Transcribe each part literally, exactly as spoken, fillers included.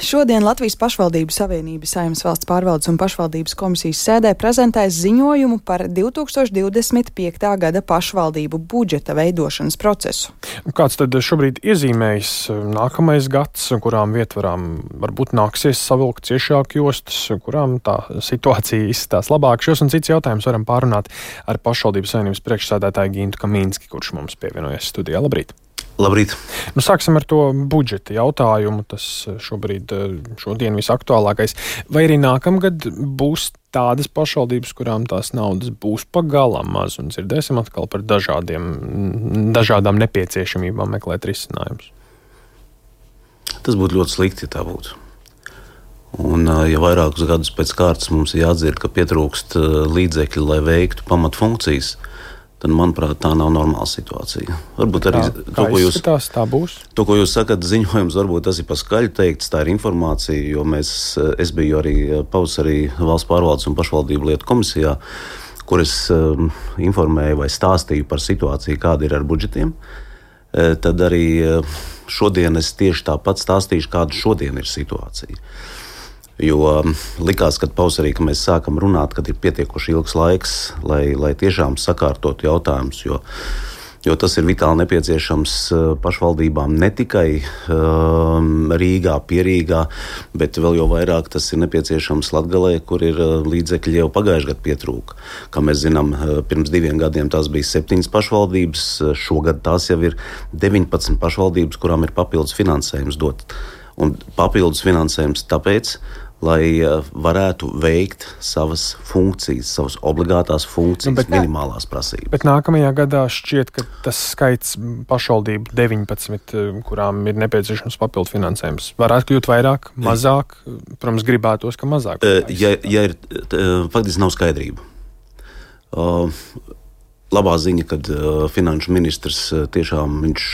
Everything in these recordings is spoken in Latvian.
šodien Latvijas pašvaldību savienības Saeimas valsts pārvaldes un pašvaldības komisijas sēdē prezentēs ziņojumu par divi tūkstoši divdesmit piektā gada pašvaldību budžeta veidošanas procesu. Kāds tad šobrīd iezīmējas nākamais gads, kurām vietvarām varbūt nāksies savilkt ciešāk jostas, kurām tā situācija izskatās labāk? Šos un cits jautājums varam pārunāt ar pašvaldības savienības priekšsēdētāju Gintu Kamīnski, kurš mums pievienojas studijā. Labrīt! Labrīt! Nu, sāksim ar to budžeta jautājumu. Tas šobrīd, šodien visaktuālākais. Vai arī nākamgad būs tādas pašvaldības, kurām tās naudas būs pagalam maz, un dzirdēsim atkal par dažādiem, dažādām nepieciešamībām meklēt risinājumus? Tas būtu ļoti slikti, ja tā būtu. Un, ja vairākus gadus pēc kārtas mums ir jāatdzird, ka pietrūkst līdzekļi, lai veiktu pamatfunkcijas, tad, manuprāt, tā nav normāla situācija. Varbūt arī tā, to, ko jūs, tā būs. To, ko jūs sakat, ziņojums, varbūt tas ir pa skaļu teikts, tā ir informācija, jo mēs, es biju arī pavasarī valsts pārvaldes un pašvaldību lietu komisijā, kur es um, informēju vai stāstīju par situāciju, kāda ir ar budžetiem. E, tad arī šodien es tieši tāpat stāstīšu, kāda šodien ir situācija. Jo likās, ka pavasarī, ka mēs sākam runāt, kad ir pietiekoši ilgs laiks, lai, lai tiešām sakārtotu jautājumus, jo, jo tas ir vitāli nepieciešams pašvaldībām ne tikai um, Rīgā, Pierīgā, bet vēl jau vairāk tas ir nepieciešams Latgalē, kur ir līdzekļi jau pagājušajā gadā pietrūka. Kā mēs zinām, pirms diviem gadiem tās bija septiņas pašvaldības, šogad tās jau ir deviņpadsmit pašvaldības, kurām ir papildus finansējums dot. Un papildus finansējums tāpēc, lai varētu veikt savas funkcijas, savas obligātās funkcijas, nu, bet, minimālās prasības. Bet nākamajā gadā šķiet, ka tas skaits pašvaldību deviņpadsmit, kurām ir nepieciešams papildu finansējums, varētu kļūt vairāk, mazāk, protams, gribētos, ka mazāk. Ja, ja ir, faktiski nav skaidrība. Labā ziņa, kad finanšu ministrs tiešām viņš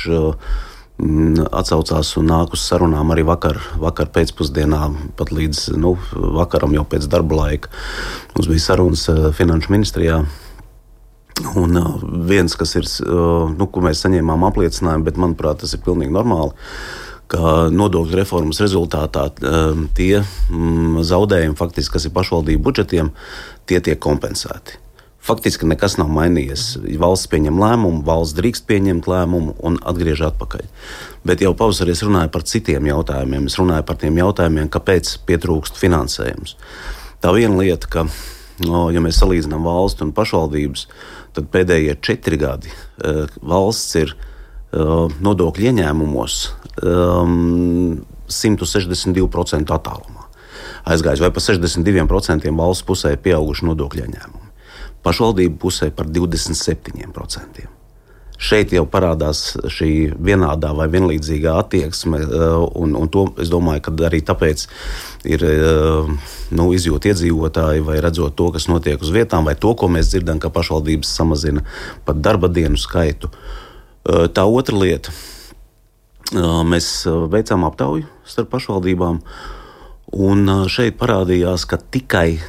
atsaucās un nāk uz sarunām arī vakar, vakar pēcpusdienā, pat līdz nu, vakaram jau pēc darba laika. Mums bija sarunas finanšu ministrijā. Un viens, kas ir, nu, ko mēs saņēmām apliecinājumu, bet manuprāt, tas ir pilnīgi normāli, ka nodokļu reformas rezultātā tie zaudējumi, faktiski, kas ir pašvaldību budžetiem, tie tiek kompensēti. Faktiski nekas nav mainījies. Valsts pieņem lēmumu, valsts drīkst pieņemt lēmumu un atgriež atpakaļ. Bet jau pavasarī es runāju par citiem jautājumiem. Es runāju par tiem jautājumiem, kāpēc pietrūkst finansējums. Tā viena lieta, ka, no, ja mēs salīdzinām valstu un pašvaldības, tad pēdējie četri gadi uh, valsts ir uh, nodokļu ieņēmumos um, simt sešdesmit divi procenti attālumā. Aizgājis vai pa sešdesmit diviem procentiem valsts pusē pieauguši nodokļu ieņēmumi. Pašvaldību pusē par divdesmit septiņiem procentiem. Šeit jau parādās šī vienādā vai vienlīdzīgā attieksme, un, un to es domāju, ka arī tāpēc ir nu, izjūt iedzīvotāji vai redzot to, kas notiek uz vietām, vai to, ko mēs dzirdam, ka pašvaldības samazina pat darba dienu skaitu. Tā otra lieta. Mēs veicām aptauju starp pašvaldībām, un šeit parādījās, ka tikai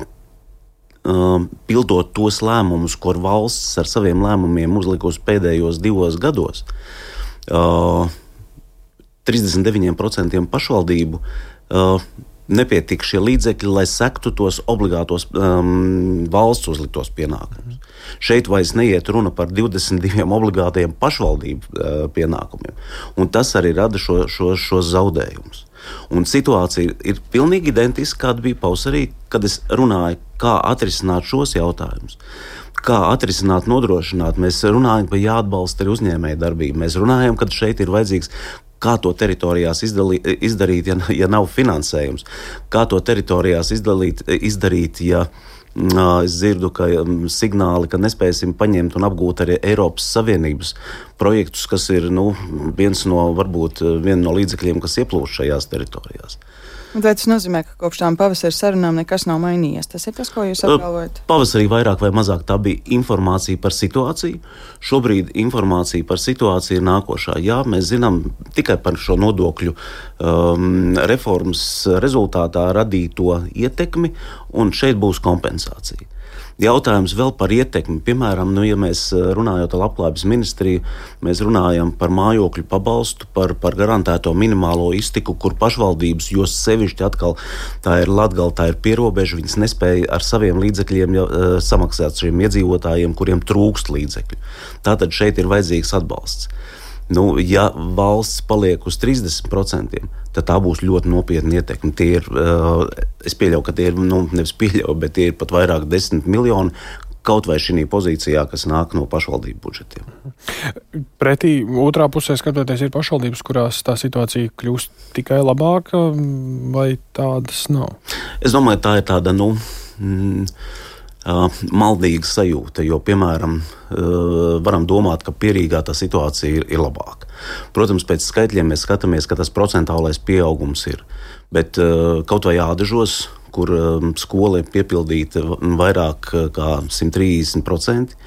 pildot tos lēmumus, ko valsts ar saviem lēmumiem uzlikusi pēdējos divos gados, trīsdesmit deviņiem procentiem pašvaldību nepietika šie līdzekļi, lai sektu tos obligātos um, valsts uzliktos pienākumus. Mm. Šeit vairs neiet runa par divdesmit diviem obligātajiem pašvaldību uh, pienākumiem, un tas arī rada šo, šo, šos zaudējumus. Un situācija ir pilnīgi identiska, kāda bija pavasarī, kad es runāju, kā atrisināt šos jautājumus. Kā atrisināt, nodrošināt. Mēs runājam, ka jāatbalsta arī uzņēmēja darbība. Mēs runājam, ka šeit ir vajadzīgs, kā to teritorijās izdalī, izdarīt, ja, ja nav finansējums. Kā to teritorijās izdalīt, izdarīt, ja es dzirdu, ka signāli, ka nespēsim paņemt un apgūt arī Eiropas Savienības projektus, kas ir nu, viens no, varbūt, viena no līdzekļiem, kas ieplūst šajās teritorijās. Vai tas nozīmē, ka kopš tām pavasara sarunām nekas nav mainījies? Tas ir tas, ko jūs apgalvojat? Pavasarī vairāk vai mazāk tā bija informācija par situāciju. Šobrīd informācija par situāciju ir nākošā. Jā, mēs zinām tikai par šo nodokļu um, reformas rezultātā radīto ietekmi, un šeit būs kompensācija. Jautājums vēl par ietekmi. Piemēram, nu, ja mēs runājot ar Labklājības ministriju, mēs runājam par mājokļu pabalstu, par, par garantēto minimālo iztiku, kur pašvaldības, jo sevišķi atkal tā ir Latgale, tā ir pierobeža, viņas nespēja ar saviem līdzekļiem jau, uh, samaksāt šiem iedzīvotājiem, kuriem trūkst līdzekļu. Tātad šeit ir vajadzīgs atbalsts. Nu, ja valsts paliek uz trīsdesmit procentiem, tad tā būs ļoti nopietna ietekme. Tie ir, uh, es pieļauju, ka tie ir, nu, nevis pieļauju, bet tie ir pat vairāk desmit miljoni, kaut vai šī pozīcijā, kas nāk no pašvaldību budžetiem. Pretī otrā pusē skatoties, ir pašvaldības, kurās tā situācija kļūst tikai labāka, vai tādas nav? Es domāju, tā ir tāda, nu, mm, Uh, maldīga sajūta, jo, piemēram, uh, varam domāt, ka Pierīgā tā situācija ir, ir labāka. Protams, pēc skaitļiem mēs skatāmies, ka tas procentālais pieaugums ir, bet uh, kaut vai Ādažos, kur um, skola ir piepildīta vairāk kā simt trīsdesmit procenti,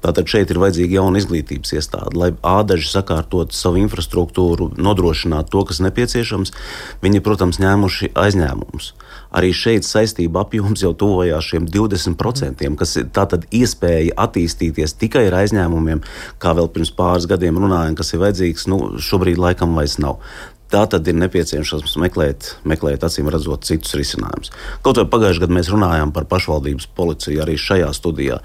tātad šeit ir vajadzīga jauna izglītības iestāde, lai Ādaži sakārtot savu infrastruktūru, nodrošināt to, kas nepieciešams. Viņi, protams, ņēmuši aizņēmumus. Arī šeit saistība apjoms jau tuvojās šiem divdesmit procentiem, kas ir tātad iespēja attīstīties tikai ar aizņēmumiem, kā vēl pirms pāris gadiem runājām, kas ir vajadzīgs, nu, šobrīd laikam vairs nav. Tā tad ir nepieciešams meklēt, meklēt acīm redzot citus risinājumus. Kaut vai pagājušajā gadā mēs runājām par pašvaldības policiju arī šajā studijā,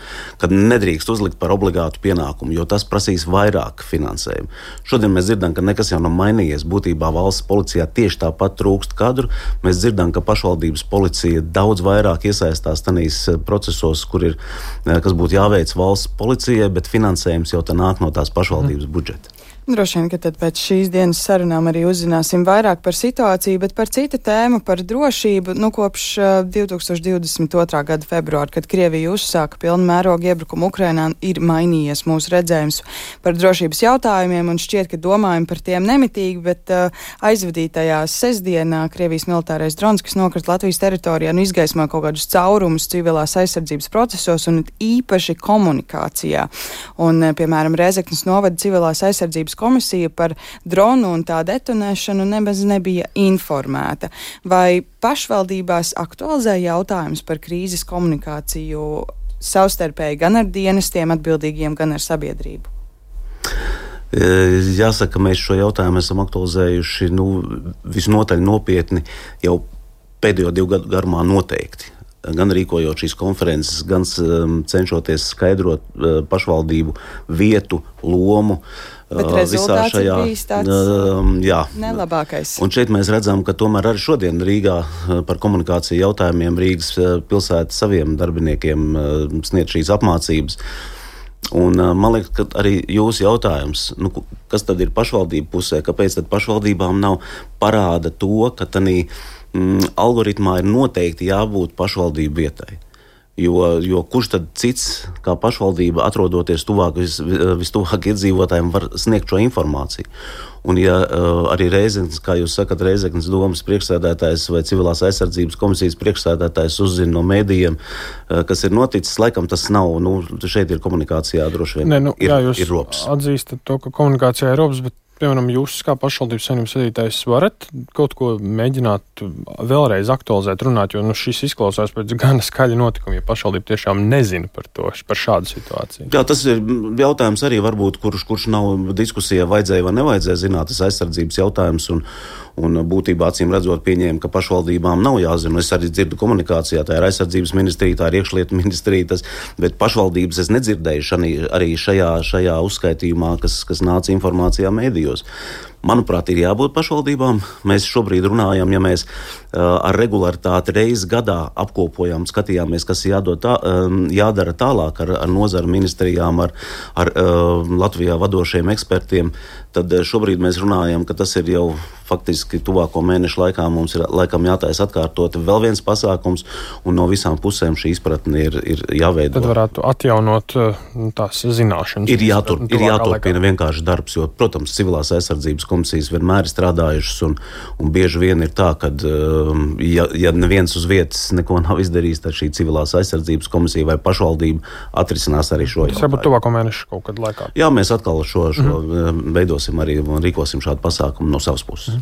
kad nedrīkst uzlikt par obligātu pienākumu, jo tas prasīs vairāk finansējumu. Šodien mēs dzirdam, ka nekas jau nav mainījies. Būtībā valsts policijā tieši tāpat trūkst kadru. Mēs dzirdam, ka pašvaldības policija daudz vairāk iesaistās tanīs procesos, kur ir, kas būtu jāveic valsts policijai, bet finansējums jau tā nāk no tās pašvaldības budžeta. Droši vien, ka tad pēc šīs dienas sarunām arī uzzināsim vairāk par situāciju, bet par citu tēmu, par drošību. Nu, kopš uh, divi tūkstoši divdesmit otrā gada februāra, kad Krievija uzsāka pilnu mērogu iebrukumu Ukrainā, ir mainījies mūsu redzējums par drošības jautājumiem, un šķiet, ka domājam par tiem nemitīgi, bet uh, aizvadītajā sestdienā Krievijas militārais drons, kas nokrita Latvijas teritorijā, nu izgaismoja kaut kādus caurumus civilās aizsardzības procesos un īpaši komunikācijā. Un, uh, piemēram, Rēzeknes novada civilās aizsardzības komisija par dronu un tā detonēšanu nemaz nebija informēta. Vai pašvaldībās aktualizē jautājums par krīzes komunikāciju savstarpēji gan ar dienestiem atbildīgiem, gan ar sabiedrību? Jāsaka, mēs šo jautājumu esam aktualizējuši nu, visnotaļ nopietni jau pēdējo divu gadu garumā noteikti. Gan rīkojot šīs konferences, gan um, cenšoties skaidrot uh, pašvaldību vietu, lomu. Bet rezultāts šajā, ir bijis tāds uh, jā. nelabākais. Un šeit mēs redzam, ka tomēr arī šodien Rīgā uh, par komunikāciju jautājumiem Rīgas uh, pilsēta saviem darbiniekiem uh, sniedz šīs apmācības. Un uh, man liekas, ka arī jūsu jautājums, nu, kas tad ir pašvaldību pusē, kāpēc tad pašvaldībām nav, parāda to, ka tanī mm, algoritmā ir noteikti jābūt pašvaldību vietai. Jo, jo kurš tad cits, kā pašvaldība, atrodoties tuvāk, vis, vistuvāk iedzīvotājiem, var sniegt šo informāciju. Un ja uh, arī Rēzeknes, kā jūs sakat, Rēzeknes domas priekšsēdētājs vai civilās aizsardzības komisijas priekšsēdētājs uzzina no mēdījiem, uh, kas ir noticis, laikam tas nav, nu, šeit ir komunikācijā droši vien ne, nu, ir, jā, jūs ir robs. Atzīstat to, ka komunikācijā ir robs, bet piemēram, jūs kā pašvaldības saimnības vadītājs varat kaut ko mēģināt vēlreiz aktualizēt, runāt, jo nu, šis izklausās pēc gana skaļa notikuma, ja pašvaldība tiešām nezina par to, par šādu situāciju. Jā, tas ir jautājums arī varbūt, kurš, kurš nav diskusijā vajadzēja vai nevajadzēja zināt, tas aizsardzības jautājums un, un būtībā acīm redzot pieņēma, ka pašvaldībām nav jāzina. Es arī dzirdu komunikācijā, tā ir aizsardzības ministrija, tā ir iekšlietu ministrija, tas, bet pašvaldības es nedzirdēju šani, arī šajā, šajā uzskaitījumā, kas, kas nāca informācijā mēdījos. Manuprāt, ir jābūt pašvaldībām. Mēs šobrīd runājam, ja mēs uh, ar regularitāti reizi gadā apkopojam, skatījāmies, kas jādod tā, um, jādara tālāk ar, ar nozaru ministrijām, ar, ar uh, Latvijā vadošiem ekspertiem, tad šobrīd mēs runājam, ka tas ir jau faktiski tuvāko mēnešu laikā mums ir laikam jātaisa atkārtot vēl viens pasākums, un no visām pusēm šī izpratne ir, ir jāveido. Tad varētu atjaunot tās zināšanas. Ir, jātur, ir jāturpina vienkārši darbs, jo, protams, civilās aizsardzības komisijas vienmēr ir strādājušas, un, un bieži vien ir tā, ka, ja, ja neviens uz vietas neko nav izdarījis, tad šī civilās aizsardzības komisija vai pašvaldība atrisinās arī šo jautājumu. Tas varbūt tuvāko mēnešu kaut kad laikā. Jā, mēs atkal šo, šo mm-hmm. veidosim arī un rīkosim šādu pasākumu no savas puses.